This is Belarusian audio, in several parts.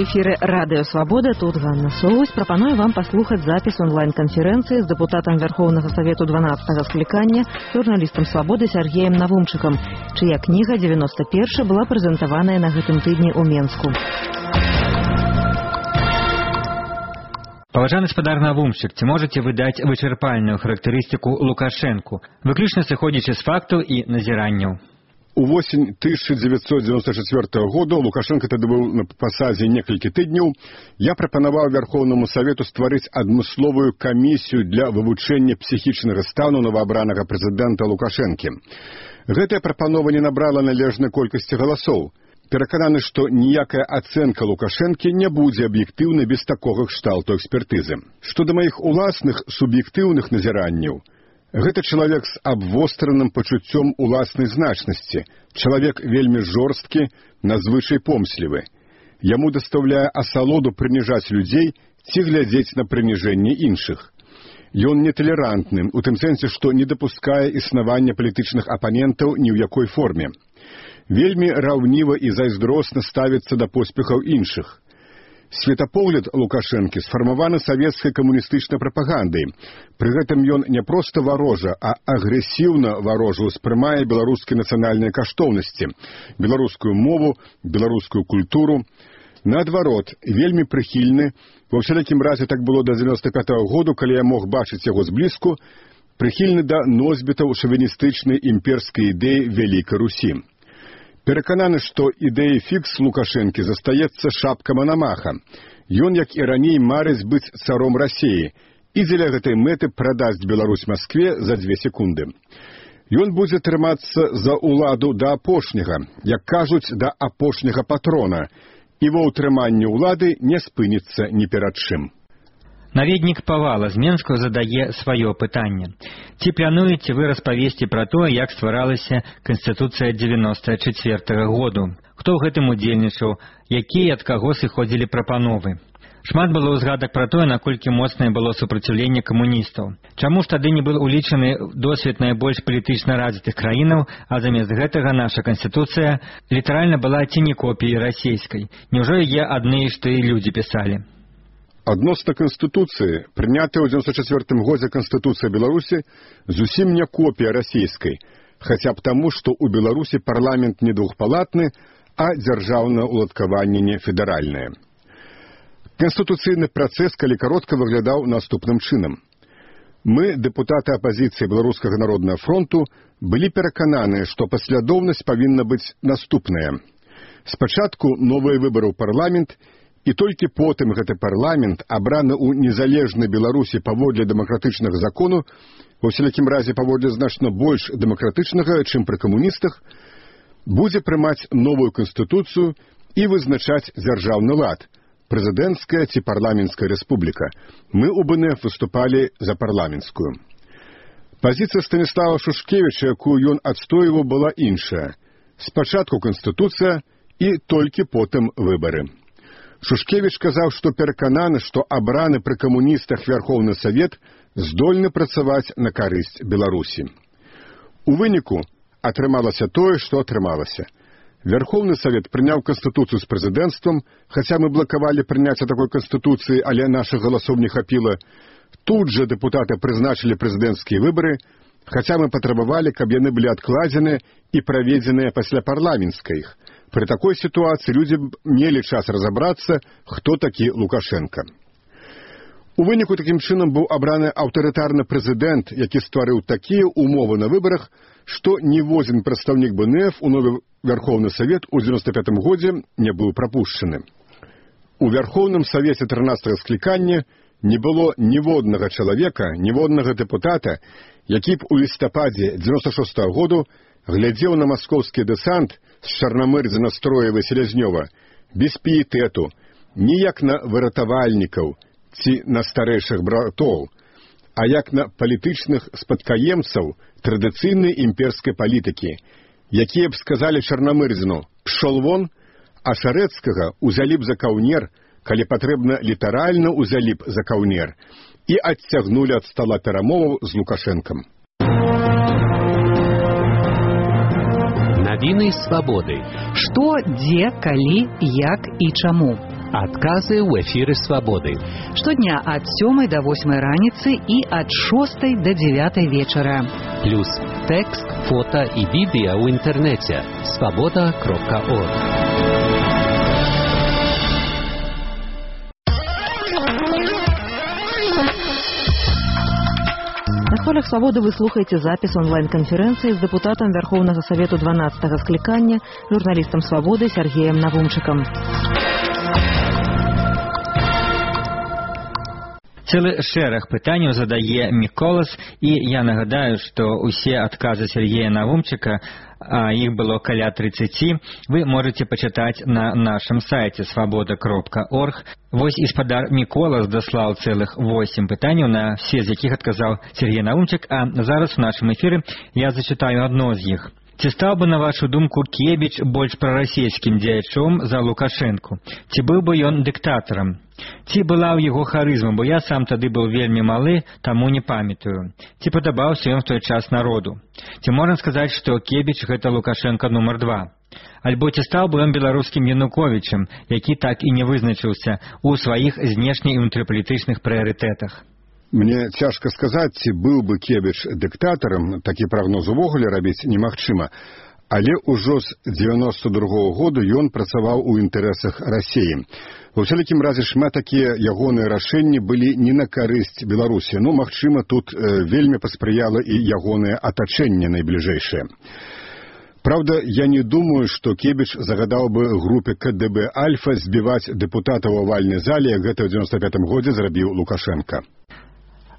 эфіры Радыё Свабода, тут Ганна Соус. Прапаную вам паслухаць запіс онлайн-канферэнцыі з дэпутатам Верховнага Савету 12-го склікання, журналістам Свабоды Сергеем Навумчыкам, чыя кніга «91» была прэзентаваная на гэтым тыдні ў Менску. Паважаны спадар Навумчык, ці можаце вы даць вычарпальную характарыстыку Лукашэнку, выключна сыходзячы з фактаў і назіранняў? У восень 1994 года Лукашенко тады быў на пасадзе некалькі тыдняў. Я прапанаваў Верховнаму Савету стварыць адмысловую камісію для вывучэння псіхічнага стану новаабранага прэзідэнта Лукашэнкі. Гэтая прапанова не набрала належнай колькасці галасоў. Перакананы, што ніякая ацэнка Лукашэнкі не будзе аб'ектыўнай без такога кшталту экспертызы. Што да маіх уласных суб'ектыўных назіранняў, гэта чалавек з абвостраным пачуццём уласнай значнасці, чалавек вельмі жорсткі, надзвычай помслівы. Яму дастаўляе асалоду прыніжаць людзей ці глядзець на прыніжэнне іншых. Ён неталерантным, у тым сэнсе, што не дапускае існавання палітычных апанентаў ні ў якой форме. Вельмі раўніва і зайздросна ставіцца да поспехаў іншых. Светапогляд Лукашэнкі сфармаваны савецкай камуністычнай прапагандай. Пры гэтым ён не проста варожа, а агрэсіўна варожа ўспрымае беларускія нацыянальныя каштоўнасці, беларускую мову, беларускую культуру. Наадварот, вельмі прыхільны, ва ўсялякім разе так было да 95-го году, калі я мог бачыць яго зблізку, прыхільны да носьбітаў шавіністычнай імперскай ідэі Вялікай Русі. Перакананы, што ідэя фікс Лукашэнкі застаецца шапка Манамаха. Ён, як і раней, марыць быць царом Расіі і дзеля гэтай мэты прадасць Беларусь Маскве за 2 секунды. Ён будзе трымацца за ўладу да апошняга, як кажуць, да апошняга патрона, і ва ўтрыманні ўлады не спыніцца ні перад чым. Наведнік Павала з Менска задае сваё пытанне. Ці плануеце вы распавесці пра тое, як стваралася Канстытуцыя 94 году? Хто ў гэтым удзельнічаў? Якія ад каго сыходзілі прапановы? Шмат было ўзгадак пра тое, наколькі моцнае было супраціўленне камуністаў. Чаму ж тады не быў улічаны досвед найбольш палітычна развітых краінаў, а замест гэтага наша Канстытуцыя літаральна была ці не копіяй расійскай? Няўжо яе адны ж тыя людзі пісалі? Адносна Канстытуцыі, прынятая ў 94 годзе Канстытуцыя Беларусі, зусім не копія расійскай, хаця б таму, што ў Беларусі парламент не двухпалатны, а дзяржаўнае ўладкаванне не федэральнае. Канстытуцыйны працэс, калі каротка, выглядаў наступным чынам. Мы, дэпутаты апазіцыі Беларускага народнага фронту, былі перакананы, што паслядоўнасць павінна быць наступная. Спачатку новыя выбары ў парламент, і толькі потым гэты парламент, абраны ў незалежнай Беларусі паводле дэмакратычнага закону, ва ўсялякім разе паводле значна больш дэмакратычнага, чым пры камуністах, будзе прымаць новую канстытуцыю і вызначаць дзяржаўны лад, прэзідэнцкая ці парламенцкая рэспубліка. Мы ў БНФ выступалі за парламенцкую. Пазіцыя Станіслава Шушкевіча, якую ён адстойваў, была іншая. Спачатку канстытуцыя і толькі потым выбары. Шушкевіч казаў, што перакананы, што абраны пры камуністах Верховны Савет здольны працаваць на карысць Беларусі. У выніку атрымалася тое, што атрымалася. Верховны Савет прыняў канстытуцыю з прэзідэнцтвам, хаця мы блакавалі прыняцце такой канстытуцыі, але нашых галасоў не хапіла. Тут жа дэпутаты прызначылі прэзідэнцкія выбары, хаця мы патрабавалі, каб яны былі адкладзеныя і праведзеныя пасля парламенцкіх. Пры такой сітуацыі людзі мелі час разабрацца, хто такі Лукашэнка. У выніку такім чынам быў абраны аўтарытарны прэзідэнт, які стварыў такія ўмовы на выбарах, што ніводзін прадстаўнік БНФ у новы Верховны Савет у 95 годзе не быў прапушчаны. У Верховным Савеце 13-го склікання не было ніводнага чалавека, ніводнага дэпутата, які б у лістападзе 96-го году глядзеў на маскоўскі дэсант з Чарнамырдзіна, Строева і Селязнёва без піетэту, ніяк на выратавальнікаў ці на старэйшых братоў, а як на палітычных спадкаемцаў традыцыйнай імперскай палітыкі, якія б сказалі Чарнамырдзіну «пшол вон», а Шарэцкага ўзялі б за каўнер, калі патрэбна літаральна ўзялі б за каўнер, і адцягнулі ад стала перамоваў з Лукашэнкам. Навіны свабоды. Што, дзе, калі, як і чаму? Адказы ў эфіры «Свабоды». Штодня ад 7 до 8 раніцы і ад 6 до 9 вечара. Плюс тэкст, фота і відэа ў інтэрнэце свабода.орг. На хвалях «Свободы» вы слухаете запись онлайн-конференции с депутатом Верховного Совету 12-го скликания, журналистом «Свободы» Сергеем Навумчиком. Цэлы шэраг пытанняў задае Міколас, і я нагадаю, што ўсе адказы Сергея Навумчыка, а іх было каля 30, вы можете пачытаць на нашым сайце свабода.орг. Вось і спадар Міколас даслаў цэлых 8 пытанняў, на все з якіх адказаў Сергей Навумчык, а зараз у нашым эфіры я зачытаю адно з іх. Ці стаў бы, на вашу думку, Кебіч больш прарасійскім дзеячом за Лукашэнку? Ці быў бы ён дыктатарам? Ці была ў яго харызма, бо я сам тады быў вельмі малы, таму не памятаю. Ці падабаўся ён в той час народу? Ці можна сказаць, што Кебіч гэта Лукашэнка нумар 2? Альбо ці стаў бы ён беларускім Януковічам, які так і не вызначыўся ў сваіх знешне- і ўнутрыпалітычных прыярытэтах? Мне цяжка сказаць, ці быў бы Кебіч дыктатарам, такі прагноз увогуле рабіць немагчыма, але ўжо з 92-го году ён працаваў у інтарэсах Расіі. Ва ўсялякім разе шмат такія ягоныя рашэнні былі не на карысць Беларусі, но, магчыма, тут вельмі паспрыяла і ягонае атачэнне найбліжэйшае. Правда, я не думаю, што Кебіч загадаў бы групе КДБ «Альфа» збіваць дэпутата ў авальнай зале, як гэта ў 95-м годзе зрабіў Лукашенка.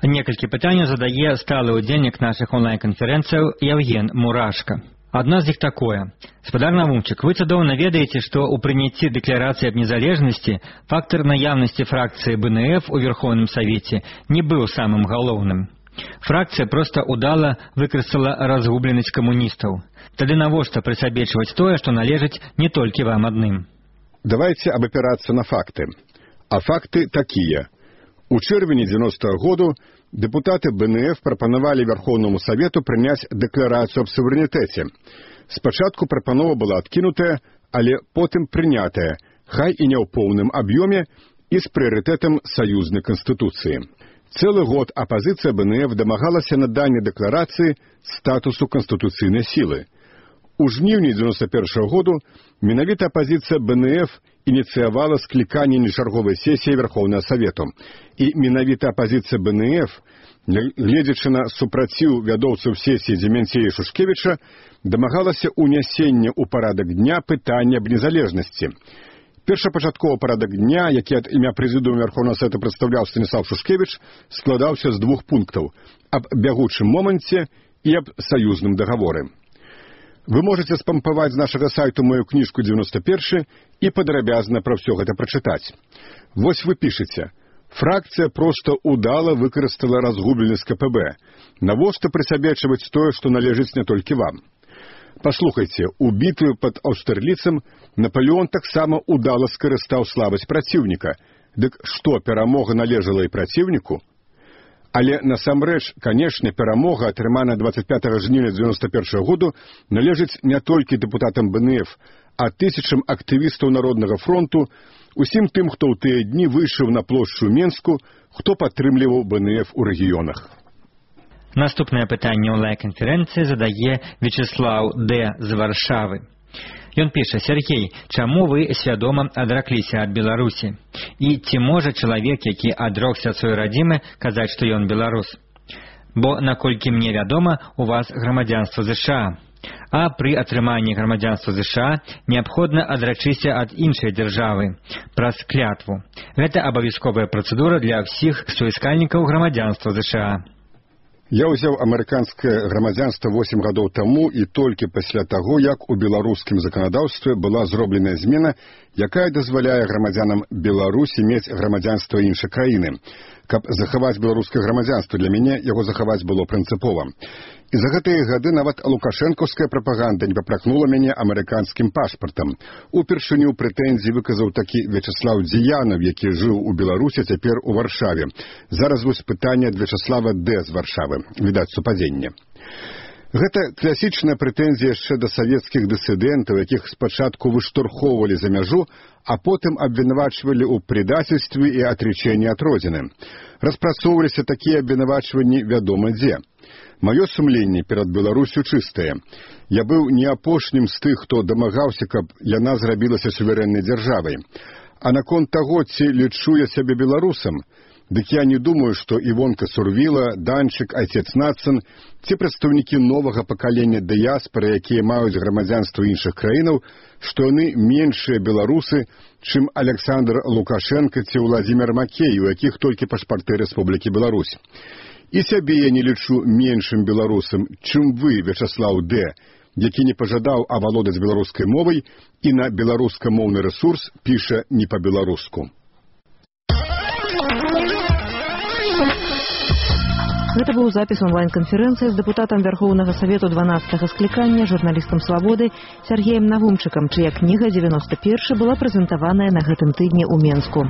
Некалькі пытанняў задае сталы ўдзельнік нашых онлайн-канферэнцыяў Яўген Мурашка. Адно з іх такое. Спадар Навумчык, вы цудоўна ведаеце, што ў прыняцці дэкларацыі аб незалежнасці фактар наяўнасці фракцыі БНФ у Верховным Савеце не быў самым галоўным. Фракцыя проста удала выкарыстала разгубленасць камуністаў. Тады навошта прысабечваць тое, што належыць не толькі вам адным? Давайце абапірацца на факты. А факты такія. У чэрвені 90-го году дэпутаты БНФ прапанавалі Верховному Совету прыняць дэкларацыю аб суверэнітэце. Спачатку прапанова была адкінутая, але потым прынятая, хай і не ў поўным аб'ёме і з прыярытэтам саюзнай канстытуцыі. Цэлы год апазіцыя БНФ дамагалася надання дэкларацыі статусу канстытуцыйнай сілы. У жніўні 91-го году менавіта апазіцыя БНФ ініцыявала скліканне нечарговай сесіі Верховнага Совету. І менавіта апазіцыя БНФ, гледзячы на супраціў вядоўцаў сесіі Дземянцея і Шушкевіча, дамагалася ўнясення ў парадак дня пытання аб незалежнасці. Першапачатковы парадак дня, які ад імя прэзідыума Верховнага Савета прадстаўляў Станіслав Шушкевіч, складаўся з 2 пунктаў – аб бягучым моманце і аб саюзным дагаворы. Вы можете спампаваць з нашага сайту мою кніжку 91 і падрабязна пра ўсё гэта прачытаць. Вось вы пішаце. Фракцыя проста удала выкарыстала разгубленасць КПБ. Навошта прысабечваць тое, што належыць не толькі вам? Паслухайце, у бітве пад Аўстерліцам Напалеон таксама удала скарыстаў слабасць праціўніка. Дык што, перамога належала і праціўніку? Але насамрэч, канешне, перамога, атрыманая 25 жніўня 91 году, належыць не толькі дэпутатам БНФ, а тысячам актывістаў Народнага фронту, усім тым, хто ў тыя дні выйшаў на плошчу Менску, хто падтрымліваў БНФ у рэгіёнах. Наступнае пытанне онлайн-канферэнцыі задае Вячеслаў Д. з Варшавы. Ён піша: Сергей, чаму вы свядома адракліся ад Беларусі? І ці можа чалавек, які адрокся ад сваёй радзімы, казаць, што ён беларус? Бо, наколькі мне вядома, у вас грамадзянства ЗША. А пры атрыманні грамадзянства ЗША неабходна адрачыся ад іншай дзяржавы праз клятву. Гэта абавязковая працэдура для ўсіх суіскальнікаў грамадзянства ЗША. Я ўзяў амерыканскае грамадзянства 8 гадоў таму і толькі пасля таго, як у беларускім заканадаўстве была зробленая змена, якая дазваляе грамадзянам Беларусі мець грамадзянства іншай краіны. Каб захаваць беларускае грамадзянства, для мяне яго захаваць было прынцыпова. І за гэтыя гады нават лукашэнкаўская прапаганда не папракнула мяне амерыканскім пашпартам. Упершыню прэтэнзіі выказаў такі Вячеслаў Дзіянаў, які жыў у Беларусі, цяпер у Варшаве. Зараз вось пытанне ад Вячеслава Д. з Варшавы. Відаць, супадзенне. Гэта класічная прэтэнзія яшчэ да савецкіх дысідэнтаў, якіх спачатку выштурхоўвалі за мяжу, а потым абвінавачвалі ў предательстве і атрычэнні ад родзіны. Распрацоўваліся такія абвінавачванні вядома дзе. Маё сумленне перад Беларусю чыстае. Я быў не апошнім з тых, хто дамагаўся, каб яна зрабілася суверэннай дзяржавай. А наконт таго, ці лічу я сябе беларусам, дык я не думаю, што Івонка Сурвіла, Данчык, Айцец Нацын ці прадстаўнікі новага пакалення дыяспары, якія маюць грамадзянства іншых краінаў, што яны меншыя беларусы, чым Александр Лукашенко ці Владзімир Макей, у якіх толькі пашпарты Рэспублікі Беларусь. І сябе я не лічу меншым беларусам, чым вы, Вячаслаў Д., які не пажадаў авалодаць беларускай мовай і на беларускамоўны рэсурс піша не па-беларуску. Гэта быў запіс онлайн-канферэнцыі з дэпутатам Вярхоўнага Савету 12-го склікання, журналістам «Свабоды» Сергеем Навумчыкам, чыя кніга «91» была прэзентаваная на гэтым тыдні ў Менску.